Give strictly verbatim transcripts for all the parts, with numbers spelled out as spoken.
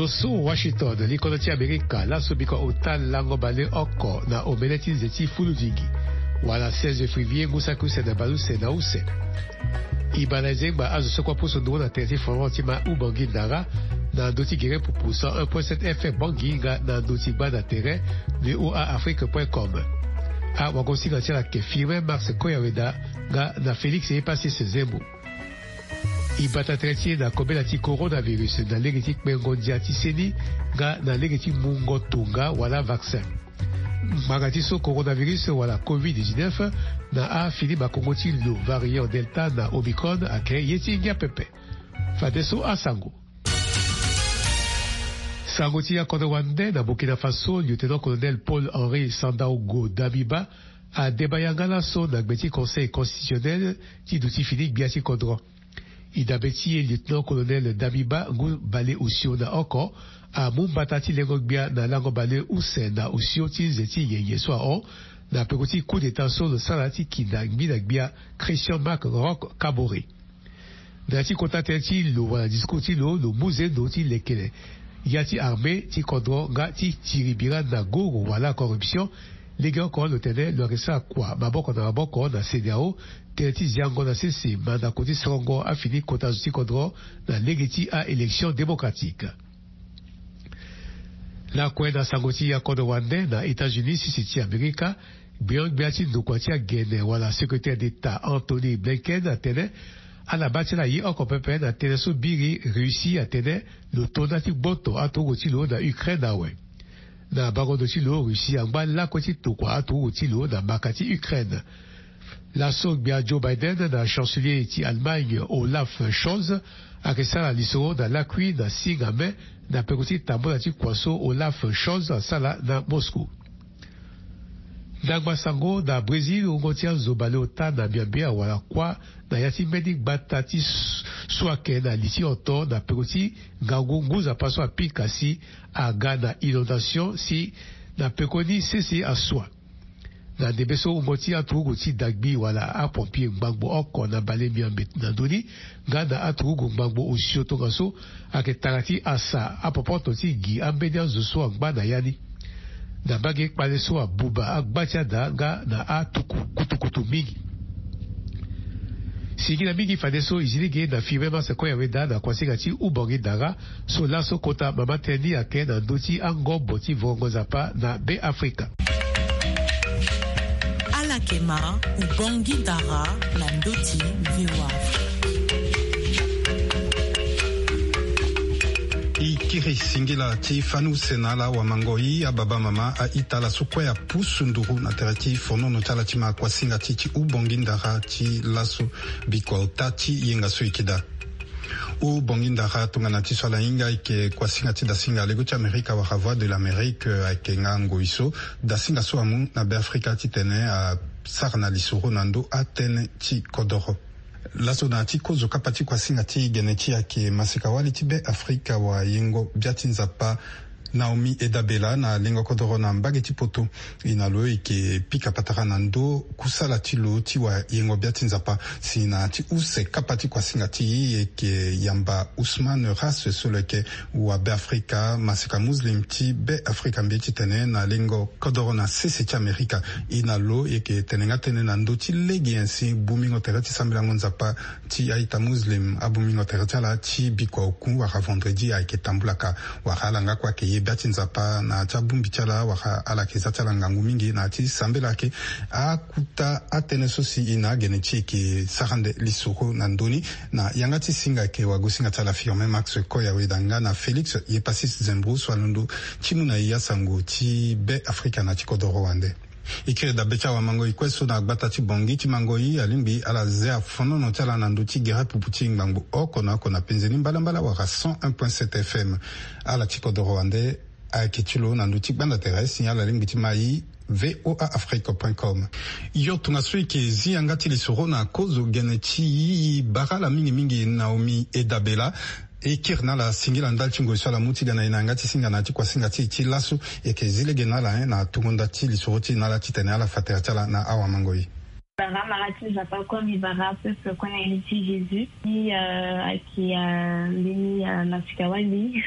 Osu Washington, likodro ti Amerika, laso biko ota lango baleoko na omene ti nze ti fulu vingi, wala seize février ngu saki use na baleuse na use. E baa na e zengba azo so kue apusu nduru na tere ti Florent ti ma Ubangui Ndara, na ndö ti gere pupu cent un point sept F M Bangui nga na ndö ti gbanda tere V O A Afrique point com. Awagosinga ti ala ayeke Firmin Marc Koyaweda nga na Félix Epasis Zembo. E bata tere ti e na kobela ti coronavirus na lege ti kpengo ndia ti seni nga na lege ti mungo tonga wala vaccin. Ngbanga ti so coronavirus wala covid dix-neuf na afini makongo ti lo variant Delta na Omicron ayeke ye ti ngia pepe. Fadeso asango. Sango ti akodro wande na Burkina Faso, lieutenant-colonel Paul Henri Sandaogo Damiba adeba yanga laso na gbe ti Conseil constitutionnel ti duti fini gbia ti kodro. E dabe ti e, lieutenant-colonel Damiba, ngu baleosio na oko, amu mbata ti lengo gbia na lango baleuse na osio ti nze ti nyenye so ahon na peko ti coup d'État so lo sara ti kinda ngbi na gbia Christian Marc Roch Kaboré. Na ya ti kota tënë ti lo wala discours ti lo, lo mu zendo ti lekere ya ti armée ti kodro nga ti tiri bira na goro wala corruption. Lege oko lo tene lo yeke sara kua maboko na maboko na CEDEAO, tënë ti ziango na sese mandako ti sorongo afini kota zo ti kodro na lege ti a-élection démocratique. Lakue na sango ti akodro wande na États-Unis, sese ti Amerika, gbion-gbia ti ndokua ti agene wala secrétaire d'État Antony Blinken atene ala baa ti ala ye oko pepe na tënë so biri Russie atene lo to nda ti gboto aturugu ti lo na Ukraine awe. Na bango ndo ti lo, Russie angba lakue ti tokua aturugu ti lo na maka ti Ukraine. Laso gbia Joe Biden na chancelier ti Allemagne Olaf Scholz ayeke sara lisoro na lakui na singa mai na peko ti tambula ti kua so Olaf Scholz asara na Moscou. Ndangba sango na Brésil, wungo ti azo baleota na miambe awara kuâ na ya ti mbeni gbata ti s-, suake na li ti oto na peko ti ngangu ngu nzapa so apika si aga na inondation si na pekoni sese asua. Na ndembe so wungo ti aturugu ti dagbi wala apompier ngbangbo oko na bale miambe na ndö ni nga na aturugu ngbangbo osio tongaso ayeke tara ti asa apopoto ti gi ambeni azo so angba na ya ni. Na mbage kpale so abuba agba ti ada nga na atuku kutukutu mingi. Singila mingi fadeso e zi lege na Firmin Marc Koyaweda na kuasinga ti Ubangui Dara so laso kota mama tënë ni ayeke na ndö ti angobo ti vorongo nzapa na Be Afrika. Ala yeke ma Ubangui Dara na ndö ti V O A. E kiri singila ti fani use na ala wamangoi, ababa, mama, a-ita, ala so kue apusu nduru na tere ti fonono ti ala ti ma kuasinga ti ti Ubangui Dara ti laso bikua ota ti yenga so e yeke daa. Ubangui Dara tongana ti so ala hinga ayeke kuasinga ti dasinga lego ti Amerika wala Voix de l'Amérique, eh, ayeke nga ngoi so dasinga so amu na Be Afrika titene asara na lisoro na ndö atënë ti kodoro. Laso na ya ti kozo kapa ti kuasinga ti gene ti e ayeke maseka-wali ti Be Afrika wala yengo bia ti Nzapa Naomi Edabela na lengo kodoro na mbage ti poto. E na lo e yeke pika patara na ndö kusala ti lo ti wayengo bia ti Nzapa. Si na ya ti use kapa ti kuasinga ti e, e yeke yamba Ousmane Ras so lo yeke wa Be Afrika, maseka Muslim ti Be Afrika mbi titene na lengo kodoro na sese ti Amerika. E na lo e yeke tene nga tënë na ndö ti lege nyen si bongbingo tere ti sambelango Nzapa ti a-ita Muslim, abongbingo tere ti ala ti bikua oku wala vendredi ayeke tambulaka, wala ala nga kue ayeke ye bia ti Nzapa na ya ti abongbi ti ala, wala ala yeke za ti ala ngangu mingi na ya ti sambela. Ayeke akuta atënë so si e na agene ti e yeke sara nde lisoro na ndö ni. Na yanga ti singa ayeke wagosinga ti ala Firmin Marc Koyaweda nga na Félix Yepasis Zembro so alondo ti mu na e asango ti Be Afrika na ti kodoro wande. E kiri dabe ti awamangoi kue so na gbata ti Bangui ti Mangoi, alingbi ala zia fonono ti ala na ndö ti gere pupu ti ngbangbo oko na oko na penze ni mbalambala wala cent un point sept F M. Ala ti kodoro wande ayeke ti lo na ndö ti gbanda tere si ala lingbi ti ma e V O A Afrique point com. Yo, tongaso e yeke zi yanga ti lisoro na kozo gene ti e, e bara ala mingi mingi Naomi Edabela. E kiri na ala singila ndali ti ngoi so ala mu ti ga na e na yanga ti singa na ya ti kuasinga ti e ti laso. E yeke zi lege na ala, eh, na tungo nda ti lisoro ti e na ala titene ala fa tere ti ala na awamangoi. Bara mara ti Nzapa kue, mbi bara peuple kue na iri ti Jésus. Mbi, euh, ayeke, euh, mbeni, euh, masika-wali.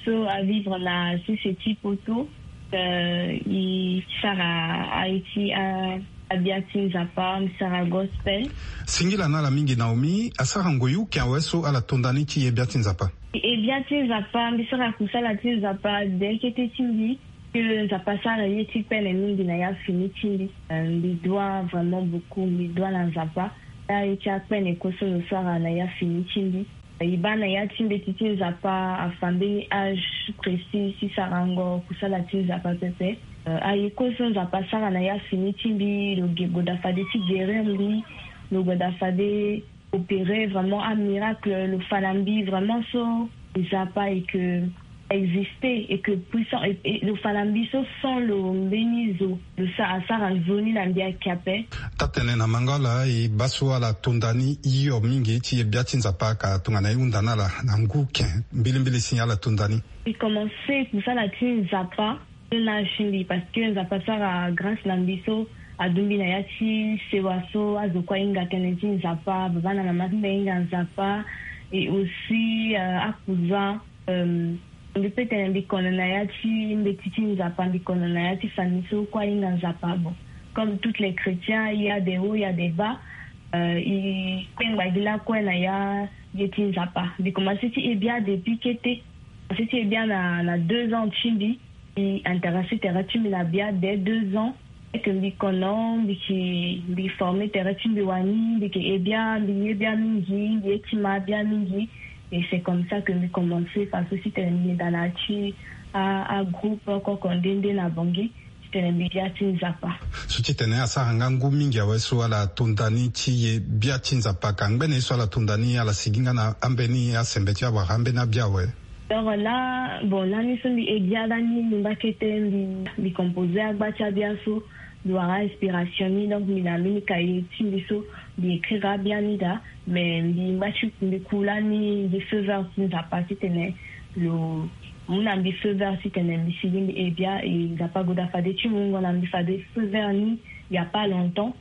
So avivre na sese ti poto. Euh, e sara aye ti a abia ti Nzapa, mbi sara gospel. Singila na ala mingi Naomi, asara ngoi uke awe so ala tonda ni ti ye bia ti Nzapa. E bia ti Nzapa, mbi sara kusala ti Nzapa de kete ti mbi. Ke Nzapa asara ye ti pene mingi na ya fini ti mbi. Euh, mbi dua vraiment beaucoup, mbi dua na Nzapa. Aye ti apene koso lo sara na ya fini ti mbi. E baa na ya ti mbeti ti Nzapa afa mbeni âge précis ti sarango kusala ti Nzapa pepe. Euh, aye koso Nzapa asara na ya fini ti mbi, lo ge goda fade ti guérir mbi, lo goda fade opérer vraiment un miracle, lo fa na mbi vraiment so Nzapa et que exister et que puissant et, et lo fa na mbi so sans lo mbeni zo lo sa asara nzoni na mbi ayeke ape. Taa-tene na mango ala, e baa so ala tonda ni hio mingi ti ye bia ti Nzapa ka tongana e hunda na ala na ngu ke. Mbilimbili si ala tonda ni. E commencer kusala ti Nzapa na âge ti mbi parce que Nzapa asara grâce na mbi so aduti mbi na ya ti sewa so azo kue ahinga tënë ti Nzapa, baba na mama ti mbi ahinga Nzapa. Et aussi, euh, akuzan, euh, mbi peut tene mbi kono na ya ti mbeti ti Nzapa, mbi kono na ya ti famille so kue ahinga Nzapa. Bon, comme tous les chrétiens, il y a des hauts, il y a des bas. Euh, e kpengba gi lakue na ya ye ti Nzapa. Mbi commencer ti e bia depuis kete. Commencer ti e bia na, na deux ans ti mbi. Mbi intéressé tere ti mbi na bia dès deux ans. Eke mbi kono, mbi ki, mbi formé tere ti mbi wani, mbi ke e bia, mbi ye bia mingi, mbi ye ti ma bia mingi. Et c'est comme ça que mbi commencé faso ti tene mbi yeda na ya ti a, agroupe oko oko nde nde na Bangui. Ti tene mbi bia ti Nzapa. So ti tene asara nga ngu mingi awe so ala tonda ni ti ye bia ti Nzapa, ka ngbene ye so ala tonda ni ala sigi nga na ambeni asembe ti awara ambeni abia awe. Donc là, bon, lani so mbi e bia lani, mbi ngba kete mbi, mbi composer agba ti abia so, mbi wara inspiration ni, donc mbi na mbeni cahier ti mbi so mbi écrire abia ni daa. Mais mbi ngba ti mbi ku lani, mbi feu vert ti Nzapa ti tene lo mu na mbi feu vert ti tene mbi sigi mbi e bia, e Nzapa agoda fade ti mungo na mbi fade feu vert ni, il y a pas longtemps.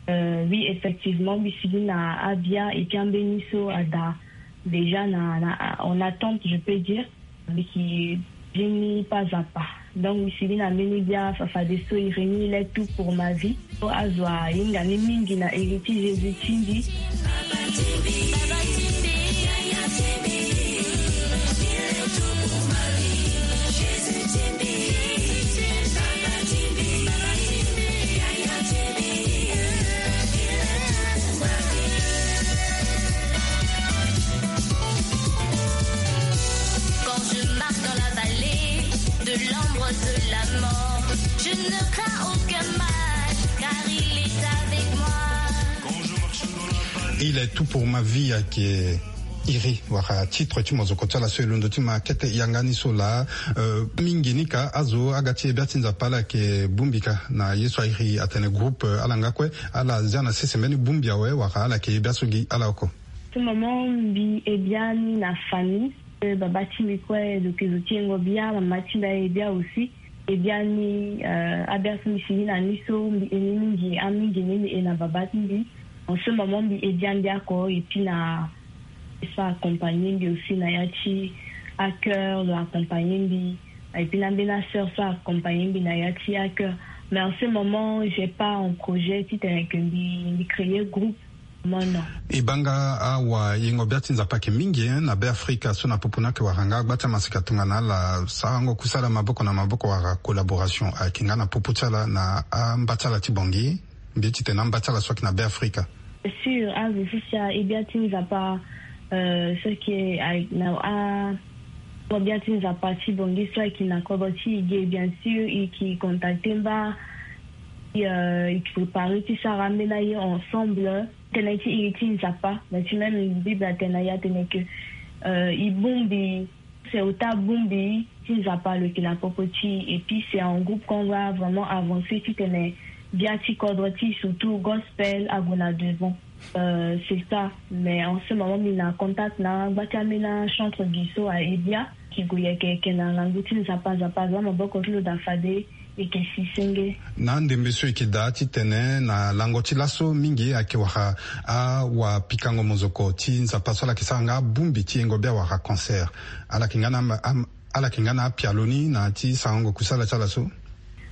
Euh, oui, effectivement, mbi sigi na abia, et puis ambeni so ada déjà na, na, en attente, je peux dire. Mbi ki bini pas à pas. Donc mbi sigi na mbeni bia fa, fadeso iri ni, il est tout pour ma vie. So azo ahinga ni mingi na iri ti Jésus ti mbi. Quand je marche dans la vallée de l'ombre de la mort, je ne crains aucun mal, car il est avec moi. Il est tout pour ma vie, ayeke iri wala titre ti mozoko ti ala so e londo ti ma kete yanga ni so laa. Euh, mingi ni ka azo aga ti e bia ti Nzapa ala yeke bongbi ka na ye so airi atene groupe, euh, ala nga kue ala zia na sese mbeni bongbi awe wala ala yeke e bia so gi ala oko. Ce moment mbi e bia ni na famille. Euh, baba ti mbi kue lo yeke zo ti yengo bia, mama ti mbi aye bia aussi. E bia ni, euh, abia so mbi sigi na ni so mbi e ni mingi, amingi ni mbi e na baba ti mbi. En ce moment mbi e bia mbi oko, et puis na so accompagner mbi aussi na ya ti accueil, lo accompagner mbi. Et puis na mbeni asœur so accompagner mbi na ya ti accueil. Mais en ce moment j'ai pas en projet ti tene que mbi, mbi créer groupe. Mono. E baa nga awayengo bia ti Nzapa ayeke mingi, hein, na Beafrika so na popo ni ayeke wara nga agba ti amaseka tongana ala sarango kusala maboko na maboko wala collaboration ayeke nga na popo ti ala na amba ti ala ti Bangui, mbi ye ti tene amba ti ala so ayeke na Beafrika. Sûr, azo so si aye bia ti Nzapa, euh, so ayeke na a, ayengo bia ti Nzapa ti Bangui so ayeke na kodro ti e ge, bien sûr e yeke contacter mba. Euh, e yeke préparer ti sara ambeni aye ensemble. Tënë ti iri ti Nzapa, mais ti même Bible atene na e atene que, euh, e bongbi, c'est ota bongbi ti Nzapa lo yeke na popo ti e, et puis c'est en groupe qu'on va vraiment avancer ti tene bia ti kodro ti e, surtout gospel, ague na devant. Euh, c'est ça. Mais en ce moment mbi na contact na gba ti ambeni achantre gi so aye bia, e ke gue yeke yeke na ngangu ti Nzapa, Nzapa aza maboko ti lo daa fade. Eke si senge. Na ndembe so eke daa titene na lango ti laso mingi ake wara awapikango mozoko ti Nzapa so ala ke sara nga abongbi ti yengo bia wara concert. Ala ke nga na am- ala ke nga na apialo ni na ti sarango kusala ti ala so.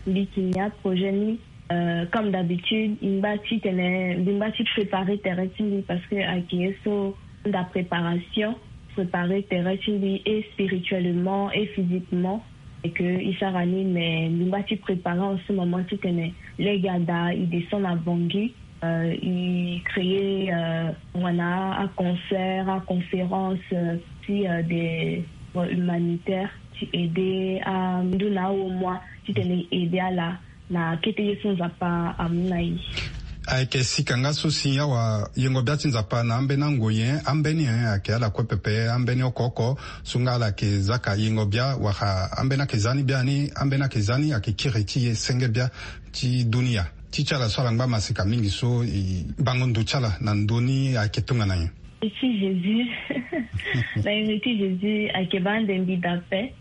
Mbi ke ni aprojet ni, euh, comme d'habitude, mbi ngba titene mbi ngba ti préparer tere ti mbi parce que ake ye so nda préparation, préparer tere ti mbi et spirituellement et physiquement. Et que i sara ni, mais mbi ngba ti préparer en ce moment titene lege ada i descend na Bangui, euh, i créer, euh, wana aconcert, aconférence, euh, ti, euh, des, euh, humanitaires ti aider a ndu na awo moi titene i aider ala na kete ye so Nzapa amu na i. Ayeke sika nga so si awayengo bia ti Nzapa na ambeni angoi nyen, ambeni nyen ayeke ala kue pepe, ambeni oko oko so nga ala yeke zaka yengo bia wala ambeni ayeke za ni biani, ambeni ayeke za ni ayeke kiri ti e senge bia ti dunia. Ti ti ala so ala ngba maseka mingi so e bango ndo ti ala na ndö ni ayeke tongana nyen? Ti Jésus. Na yenge ti Jésus ayeke baa nde mbi da ape.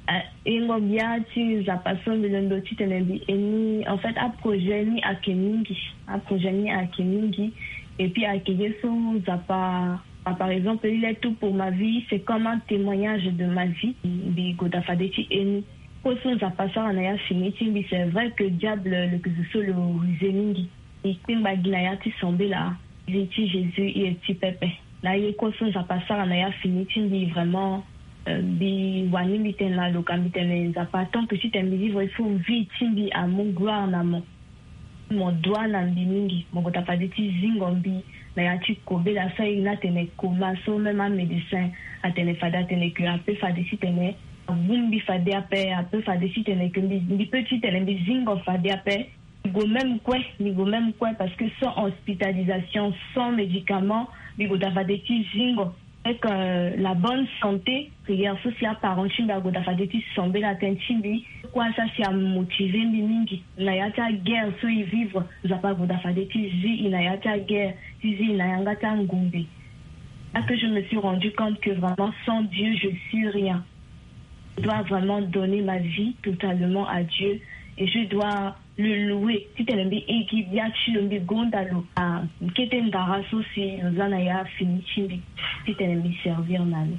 Ah, yengo bia ti Nzapa so mbi londo titene mbi e ni, en fait, aprojet ni ayeke mingi. Aprojet ni ayeke mingi. Et puis ayeke ye so Nzapa, ah, par exemple, il est tout pour ma vie, c'est comme un témoignage de ma vie. Mbi goda fade ti e ni. Kue so Nzapa asara na ya fini ti mbi, c'est vrai que diable lo yeke zo so lo rusé mingi. Mbi kpingba gi na ya ti sambela. Vie ti Jésus i ye ti pepe. Na ye kue so Nzapa asara na ya fini ti mbi, vraiment, euh, mbi wani mbi tene na lo ka mbi tene Nzapa, tant que titene mbi vivre, il faut vie ti mbi amu gloire na mo. Mo doit na mbi mingi, mo kota fade ti zingo mbi na ya ti kobela so aye ni atene coma so même amédecin atene fade atene que ape fade titene agbu mbi fade ape, ape fade titene que mbi, mbi peut titene mbi zingo fade ape. Mbi go même kue, mbi go même kue parce que sans hospitalisation, sans médicament, mbi kota fade ti zingo. Avec, euh, la bonne santé, prière so si aparent ti mbi agoda fade ti sambela tënë ti mbi. Kue so si amotivé mbi mingi na ya ti aguerre so e vivre, Nzapa agoda fade ti zi e na ya ti aguerre, ti zi e na yanga ti angombe. Là que je me suis rendu compte que vraiment sans Dieu je suis rien. Je dois vraiment donner ma vie totalement à Dieu et je dois le louer. Titene mbi e gi bia ti lo, mbi gonda lo. Ah, kete ndara so si lo za na ya fini ti mbi, titene mbi servir na lo.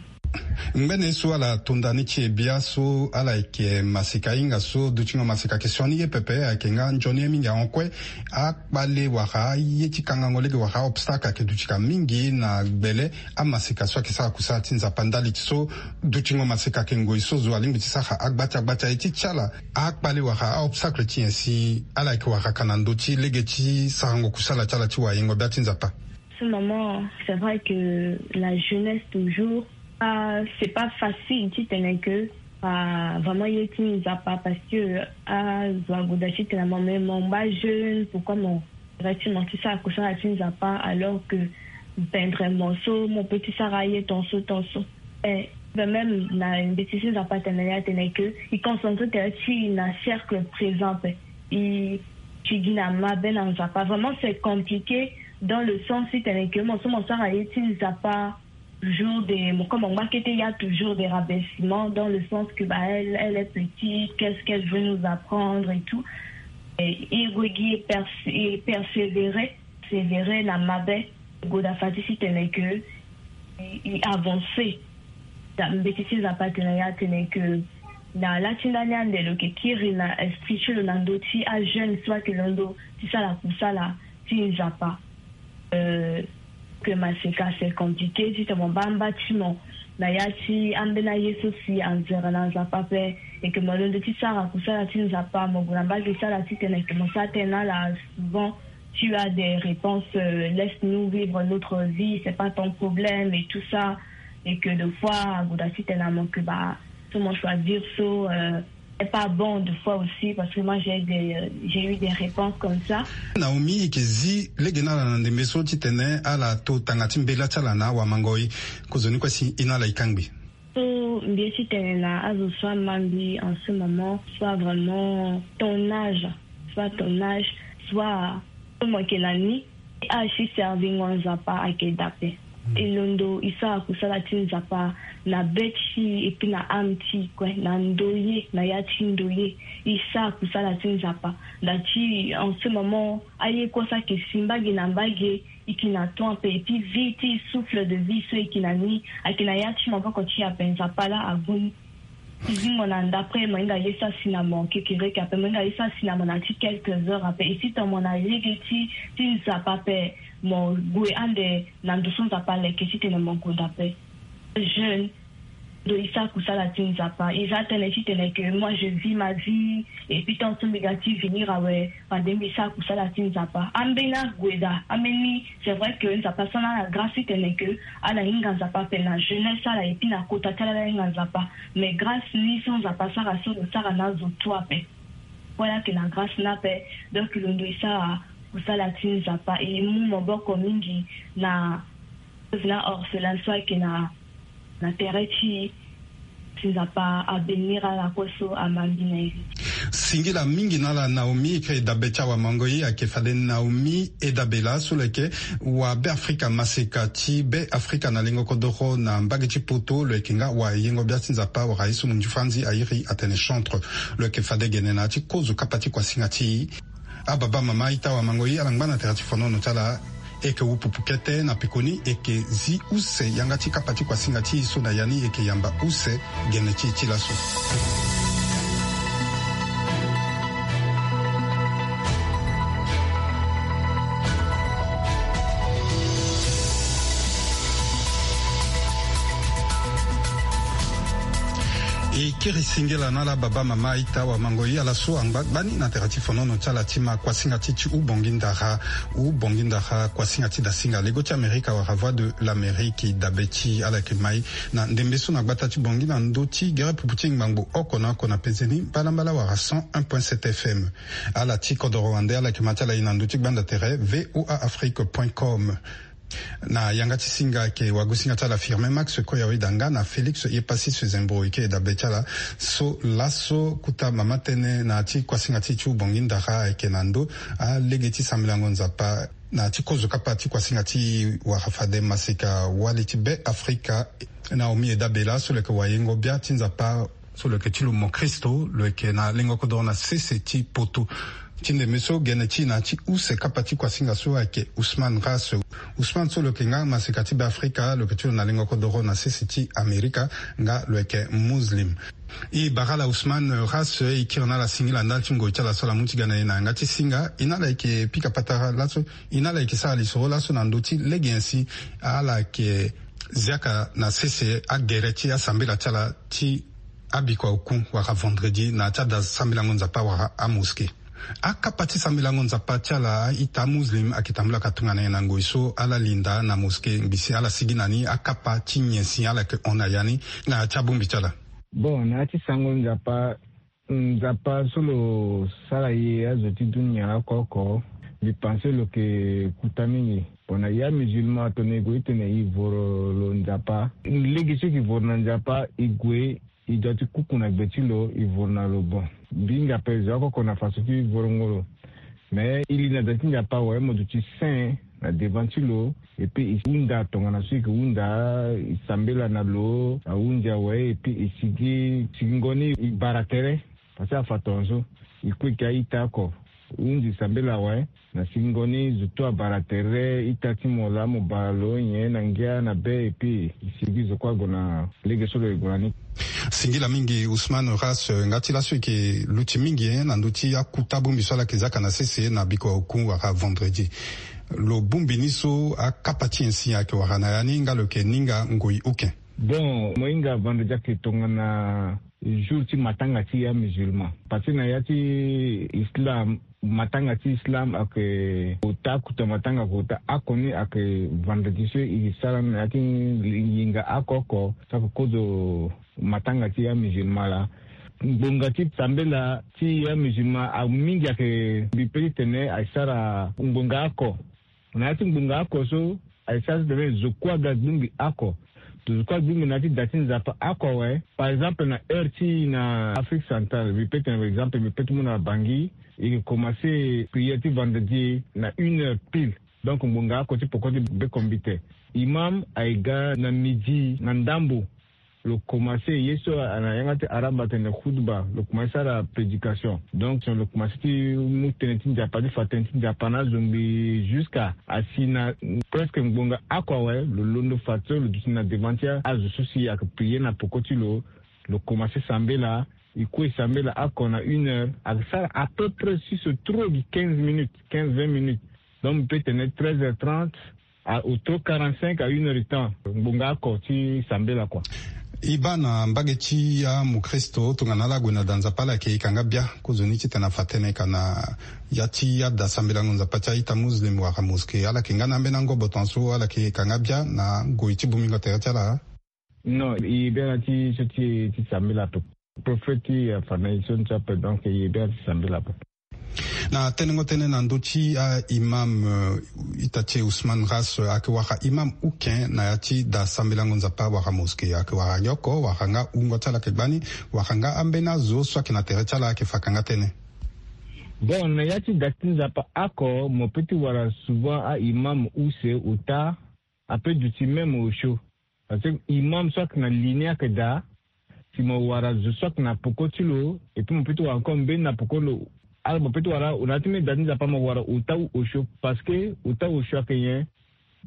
Ngbene so ala tonda ni ti e bia so ala yeke maseka hinga so dutingo maseka question ni ye pepe ayeke nga nzoni ye mingi ahon kue. Akpale wala aye ti kangango lege wala aobstacle ayeke duti ka mingi na gbele amaseka so ayeke sara kusala ti Nzapa ndali ti so dutingo maseka ayeke ngoi so zo alingbi ti sara agbati agbati aye ti ti ala. Akpale wala aobstacle ti nyen si ala yeke wara ka na ndö ti lege ti sarango kusala ti ala ti wayengo bia ti Nzapa? Ce moment, c'est vrai que la jeunesse toujours, ah, c'est pas facile titene que, ah, vraiment ye ti Nzapa parce que, ah, zo agoda titene mo, mais mo ngba jeune, pourquoi mo, effectivement, ti sara kusala ti Nzapa alors que pendre mo so mo peut ti sara ye ton so ton so. Eh, ben même na mbeti ti Nzapa atene ni atene que i concentre tere ti i na cercle présent ape. I ti gi na mabe na Nzapa. Vraiment c'est compliqué dans le sens titene que mo so mo sara ye ti Nzapa toujours de mo comme mo ngba kete, il y a toujours des rabaissements dans le sens que bah elle, elle est petite, qu'est-ce qu'elle veut nous apprendre et tout. Et i gue gi e pers- e persévérer, persévérer na mabe, goda fade titene que i, i avancer. Da mbeti ti Nzapa atene ya atene que na la ti ndani ande lo yeke kiri na esprit ti lo na ndö ti ajeune so ayeke londo ti sara kusala ti Nzapa. Euh, que maseka c'est compliqué titene mo baa mba ti mo na ya ti ambeni aye so si anzere na Nzapa ape. Et que mo londo ti sara kusala ti Nzapa, mo gue na mbage ti ala titene que mo sara tënë na ala souvent. Tu as des réponses, euh, laisse-nous vivre notre vie, c'est pas ton problème et tout ça. Et que de fois agoda titene na mo que bah so mo choisir so, euh, c'est pas bon de fois aussi parce que moi j'ai des, euh, j'ai eu des réponses comme ça. Naomi, i yeke zi lege na ala na ndembe so titene ala to tanga ti mbela ti ala na awamangoi. Kozoni kue si i na ala i kangbi. So mbi ye titene na azo so ama mbi en ce moment, soit vraiment ton âge, soit ton âge, soit so mo yeke na ni, âge ti servingo Nzapa ayeke da ape. E londo e sara kusala ti Nzapa na be ti e epui na âme ti e kue, na ndoye, na ya ti ndoye. E sara kusala ti Nzapa. Nda ti en ce moment aye kue so ayeke si mbage na mbage, e yeke na temps ape, epui vie ti e, souffle de vie so e yeke na ni, ayeke na ya ti maboko ti e ape. Nzapa laa ague ni. Ti zingo na ndapre, mo hinga ye sara si na mo kekereke ape, mo hinga ye sara si na mo na ya ti quelques heures ape. E si tongana mo na lege ti, ti Nzapa ape, mo gue ande na ndo so Nzapa aleke titene mo gonda ape. Jeune, ndo e sara kusala ti Nzapa. E za tënë titene que moi je vis ma vie, et puis tant so mbi ga ti venir awe, fade mbi sara kusala ti Nzapa. Ambeni ague daa, ambeni, c'est vrai que Nzapa asara na ala grâce titene que ala hinga Nzapa ape na jeunesse ala, et puis na kota ti ala ala hinga Nzapa. Mais grâce ni so Nzapa asara so lo sara na azo tout ape. Voilà que na grâce ni ape, donc londo e sara kusala ti Nzapa, e mu maboko mingi na veuve na orphelin so ayeke na, na tere ti e. Si Nzapa abénir ala kue so amambi na e. Singila mingi na ala Naomi, e kiri dabe ti awamango ye, ayeke fade Naomi Edabela so lo yeke wa Beafrika, maseka ti Beafrika na lengo kodoro na mbage ti poto, lo yeke nga wayengo-bia ti Nzapa wala ye so munju fanzi airi atene chantre. Lo yeke fade gene na ya ti kozo kapa ti kuasinga ti e. Ababa mama ita wamango ye, ala ngba na tere ti fonono ti ala. E yeke wu pupu kete na pekoni, e yeke zi use yanga ti kapa ti kuasinga ti e so na ya ni e yeke yamba use gene ti e ti laso. E kiri singila na ala baba mama ita wamango ye, ala so angba gbani na tere ti fonono ti ala ti ma kuasinga ti ti Hubongi Ndara. Hubongi Ndara, kuasinga ti dasinga lego ti Amerika wala Voix de l'Amérique, dabe ti ala yeke mai na ndembe so na gbata ti Bongi na ndö ti gere pupu ti ngbangbo oko na oko na pezeni mbalambala wala cent un point sept F M. Ala ti kodoro wande ala yeke ma ti ala e na ndö ti gbanda tere V O A Afrique point com. Na yanga ti singa ayeke wagosinga ti ala Firmin Max Koyaweda nga na Félix Yepassis Zembo e yeke dabe ti ala. So laso kota mama tënë na ya ti kuasinga ti e ti Hubongi Ndara ayeke na ndö alege ti sambelango Nzapa na ya ti kozo kapa ti kuasinga ti e wala fade maseka wali ti Beafrika, Naomi Edabela so lo yeke wayengo-bia ti Nzapa so lo yeke ti lo mokristo, lo yeke na lengo kodoro na sese ti poto. Ti ndembe so gene ti e na ya ti use kapa ti kuasinga so ayeke Ousmane Ras. Ousmane so lo yeke nga maseka ti Beafrika, lo yeke ti lo na lengo kodoro na sese ti Amerika, nga lo yeke Muslim. E bara ala Ousmane Ras, e kiri na ala singila ndali ti ngoi ti ala so ala mu ti ga na e na yanga ti singa. E na ala yeke pika patara laso, e na ala yeke sara lisoro laso na ndö ti lege nyen si ala yeke ziaka na sese agere ti asambela ti ala ti abiko oku wala vendredi na ya ti ada sambelango Nzapa wala amoske. Akapa ti sambelango Nzapa ti ala a-ita amuslim ayeke tambula ka tongana nyen na ngoi so ala linda na moske, ngbisi ala sigi na ni, akapa ti nyen si ala yeke hon na ya ni na ya ti abongbi ti ala? Bon, na ya ti sango Nzapa, Nzapa so lo sara e azo ti dunia oko oko, mbi pense lo yeke kuta mingi. Bon, na ya musulman atene e gue titene e voro lo Nzapa. Lege so e yeke voro na Nzapa, e gue, e dua ti kuku na gbe ti lo, e voro na lo. Bon, mbi hinga ape zo oko oko na faso ti vorongo lo. Mais e li na da ti Nzapa awe, mo duti saint na devant ti lo, et puis e hunda tongana so e yeke hunda, e sambela na lo ahunzi awe, et puis e sigi, sigingo ni e bara tere. Parce que afa tongaso e kue e ke a-ita oko, hunzi sambela awe, na sigingo ni zo tu abara tere, ita ti mo laa mo bara lo nyen na ngia na be, et puis e sigi zo kue ague na lege so lo yeke gue na ni. Singila mingi Ousmane Ras, eh, nga ti laso e yeke luti mingi, eh, na ndö ti akuta bongbi so ala yeke zia ka na sese na biko oku wala vendredi. Lo bongbi ni so akapa ti nyen si ayeke wara na ya ni nga lo yeke ninga ngoi uke? Bon, mo hinga vendredi ayeke tongana jour ti matanga ti ya musulman. Parce que na ya ti islam, matanga ti islam ayeke kota, kota matanga kota oko ni ayeke vendredi so e sara na ya ti yinga oko oko, so ayeke kozo matanga ti ya musulman laa. Ngbonga ti sambela ti ya musulman amingi ayeke, mbi pe ti tene ayeke sara ngbonga oko. Na ya ti ngbonga oko so, ayeke sara titene zo kue aga gbingbi oko. Zo kue agbingbi na ya ti da ti Nzapa oko awe. Par exemple, na heure ti e na Afrique centrale, mbi pe tene, par exemple, mbi pe ti mu na Bangui, e yeke commencer prière ti vendredi na une heure pile. Donc ngbonga oko ti poko ti bekombite, imam aye ga na midi na ndambo. Lo komanse ye so na yanga ti arabe atene khutba, lo komanse sara prédication. Donc lo komanse ti mu tënë ti Nzapa, ti fa tënë ti Nzapa na azongbi jusqu'à asi na presque ngbonga oko awe. Lo londo fadeso lo duti na devant ti azo so si ayeke prier na poko ti lo. Lo komanse sambela, e kue sambela oko na une heure, ayeke sara à peu près si so trop gi quinze minutes, quinze vingt minutes. Donc mbi pe tene treize heures trente à au trop quarante-cinq à une heure de temps, ngbonga oko ti sambela kua. E baa na mbage ti amokristo tongana ala gue na da Nzapa, ala yeke yeke yanga bia kozoni titene afa tënë ka na ya ti ada sambelango Nzapa ti a-ita muslim wala mosquée, ala yeke nga na ambeni angobo tongaso, ala yeke yeke yanga bia na ngoi ti bongbingo tere ti ala? Non, e ye bia na ti so ti ti sambela ape. Prophète ti afa na e so ni so ape, donc e ye bia na ti sambela ape. Na tenengo tënë na ndö ti a-imam, eh, ita ti e Ousmane Ras, eh, ayeke wara imam uken na ya ti da sambelango Nzapa wala mosquée, ayeke wara yoko wala nga wungo ti ala ayeke gbani, wala nga ambeni azo so ayeke na tere ti ala ayeke fa kanga tënë? Bon, na ya ti da ti Nzapa oko mo pe ti wara souvent a-imam use, ota, ape duti même osio. Parce que imam so ayeke na ligne ayeke daa, si mo wara zo so ayeke na peko ti lo, et puis mo peut ti wara encore mbeni na peko ti lo. Ala mo peut ti wara na ya ti mbeni da ti Nzapa mo wara ota ou osio, parce que ota osio ayeke nyen?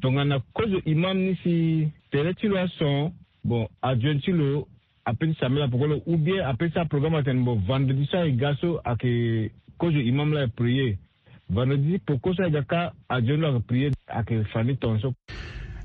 Tongana kozo imam ni si tere ti lo ason, bon, adjoint ti lo ape ti sambela peko ti lo, ou bien ape ti sara programme atene bon, vendredi so aye ga so ayeke kozo imam la aye prier. Vendredi peko so aye ga ka, adjoint lo ayeke prier, ayeke fa ni tongaso.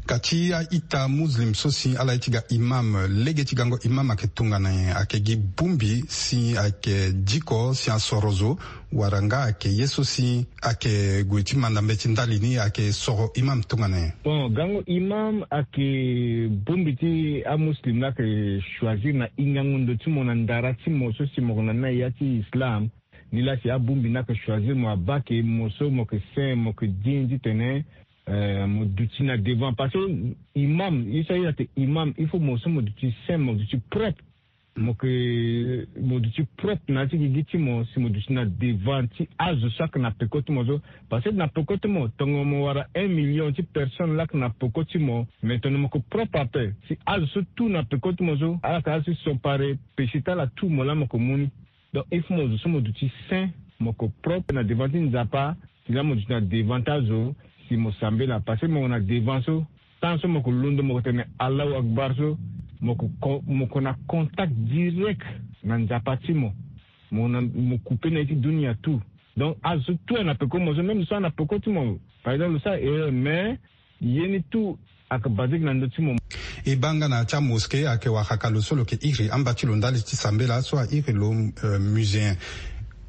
Ka ti a-ita muslim so si ala ye ti ga imam, lege ti gango imam ayeke tongana nyen? Ayeke gi bongbi si ayeke diko si asoro zo, wala nga ayeke ye so si ayeke gue ti manda mbeti ndali ni, ayeke soro imam tongana nyen? Bon, gango imam ayeke bongbi ti amuslim la ayeke choisir na hingango ndo ti mo na ndara ti mo so si mo yeke na ni na ya ti islam. Ni la si abongbi ni ayeke choisir mo, abaa ke mo so mo yeke saint, mo yeke digne titene, eh, mo duti na devant. Parce que imam, ye so aye atene imam, il faut mo so mo duti saint, mo duti propre. Mo yeke, mo duti propre na ya ti gigi ti mo si mo duti na devant ti azo so ayeke na peko ti mo so. Parce que na peko ti mo, tongo mo wara un million ti personne la ayeke na peko ti mo, mais tongana mo yeke propre ape, si azo so tout na peko ti mo so ala yeke ala so si sont parés, péché ti ala tout mo la mo yeke mu ni. Donc il faut mo zo so mo duti saint, mo yeke propre na devant ti Nzapa, si la mo duti na devant ti azo, si mo sambela, parce que mo na devant so, tant so mo yeke londo mo yeke tene Allahu Akbar so, mo yeke con-, mo yeke na contact direct na Nzapa ti mo. Mo na, mo couper na ye ti dunia tout. Donc azo so tout ana peko mo so, même so ana peko ti mo, par exemple lo sara erreur, mais ye ni tout ayeke basé na ndö ti mo. E baa nga na ya ti amosquée ayeke wara ka lo so lo yeke iri amba ti lo ndali ti sambela so airi lo, euh, muséen.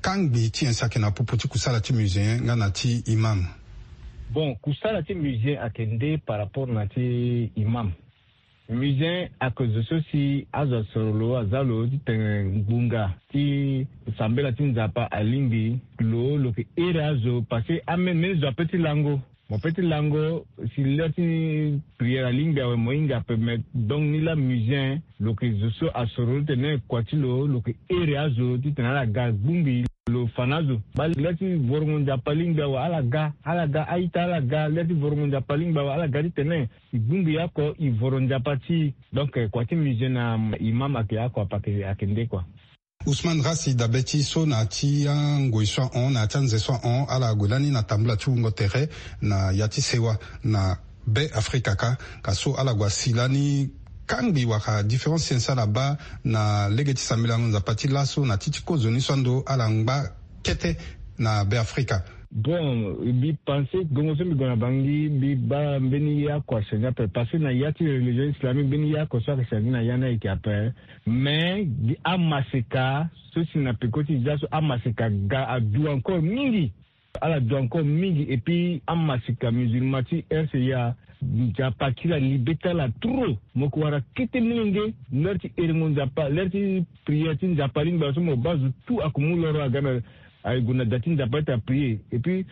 Kangbi ti nyen si ayeke na popo ti kusala ti muséen nga na ti imam? Bon, kusala ti muséen ayeke nde par rapport na ti imam. Muséen ayeke zo so si azo asoro lo, aza lo titene ngbonga ti sambela ti Nzapa alingbi lo, lo yeke iri azo, parce que amene mbeni zo ape ti lango. Mo pe ti lango, si l'heure ti prière alingbi awe mo hinga ape, mais donc ni la muséen lo yeke zo so asoro lo titene kua ti lo, lo yeke iri azo titene ala ga gbongbi lo fa na azo. Baa l'heure ti vorongo Nzapa alingbi awe ala ga, ala ga a-ita ala ga, l'heure ti vorongo Nzapa alingbi awe ala ga titene e gbongbi oko e voro Nzapa ti e. Donc kua ti muséen na imam ayeke oko ape, ayeke nde kua. Ousmane Rassi, dabe ti so na ya ti angoi so ahon, na ya ti anze so ahon, ala gue lani na tambula ti wungo tere na ya ti sewa na Be Afrika kâ. Ka so ala gue asi lani kangbi wala différence ti nyen si ala baa na lege ti sambelango Nzapa ti laso na ti ti kozoni so ando ala ngba kete na Be Afrika. Bon, mbi pense gongo so mbi gue na bangi, mbi baa mbeni ye oko achangé ape, parce que na ya ti religion islamique mbeni ye oko so ayeke changé na ya ni ayeke ape. Mais gi amaseka so si na peko ti e za so, amaseka ga adu encore mingi. Ala du encore mingi, et puis amaseka musulman ti R C A, Nzapa akiri alibe ti ala trop. Mo yeke wara kete molenge, l'heure ti erengo Nzapa, l'heure ti prière ti Nzapa alingbi awe so mo baa zo tout ayeke mu loro aga na, aye gue na da ti Nzapa ti aprier. Et puis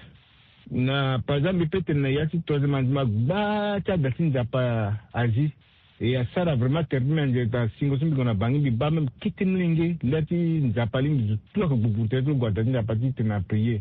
na par exemple mbi pe tene na ya ti troisième arrondissement gbaa ti ada ti Nzapa azi. E asara vraiment tere ti mbi anze ta singo so mbi gue na bangi mbi baa même kete molenge, l'heure ti Nzapa alingbi zo tout ayeke gbugburu tere ti lo gue na da ti Nzapa titene aprier.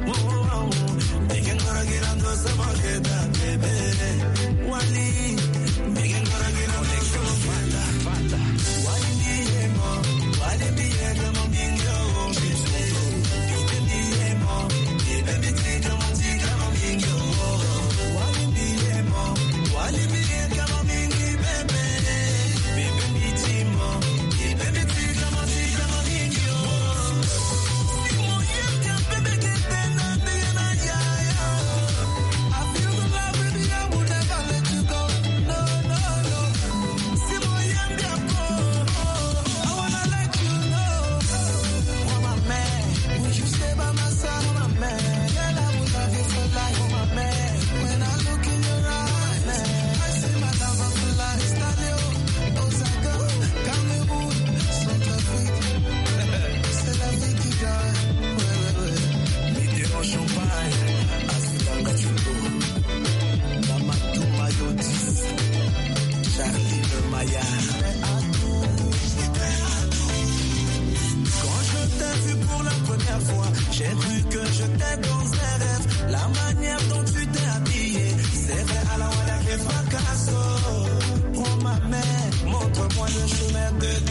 Mitterrand Champagne, Asutanga Chuto, Mamadou Mayotis, Charlie le Maya. Quand je t'ai vu pour la première fois, j'ai cru que j'étais dans un rêve. La manière dont tu t'es habillée, c'est vrai, à la wala que fracasso. Prends ma main, montre-moi le chemin de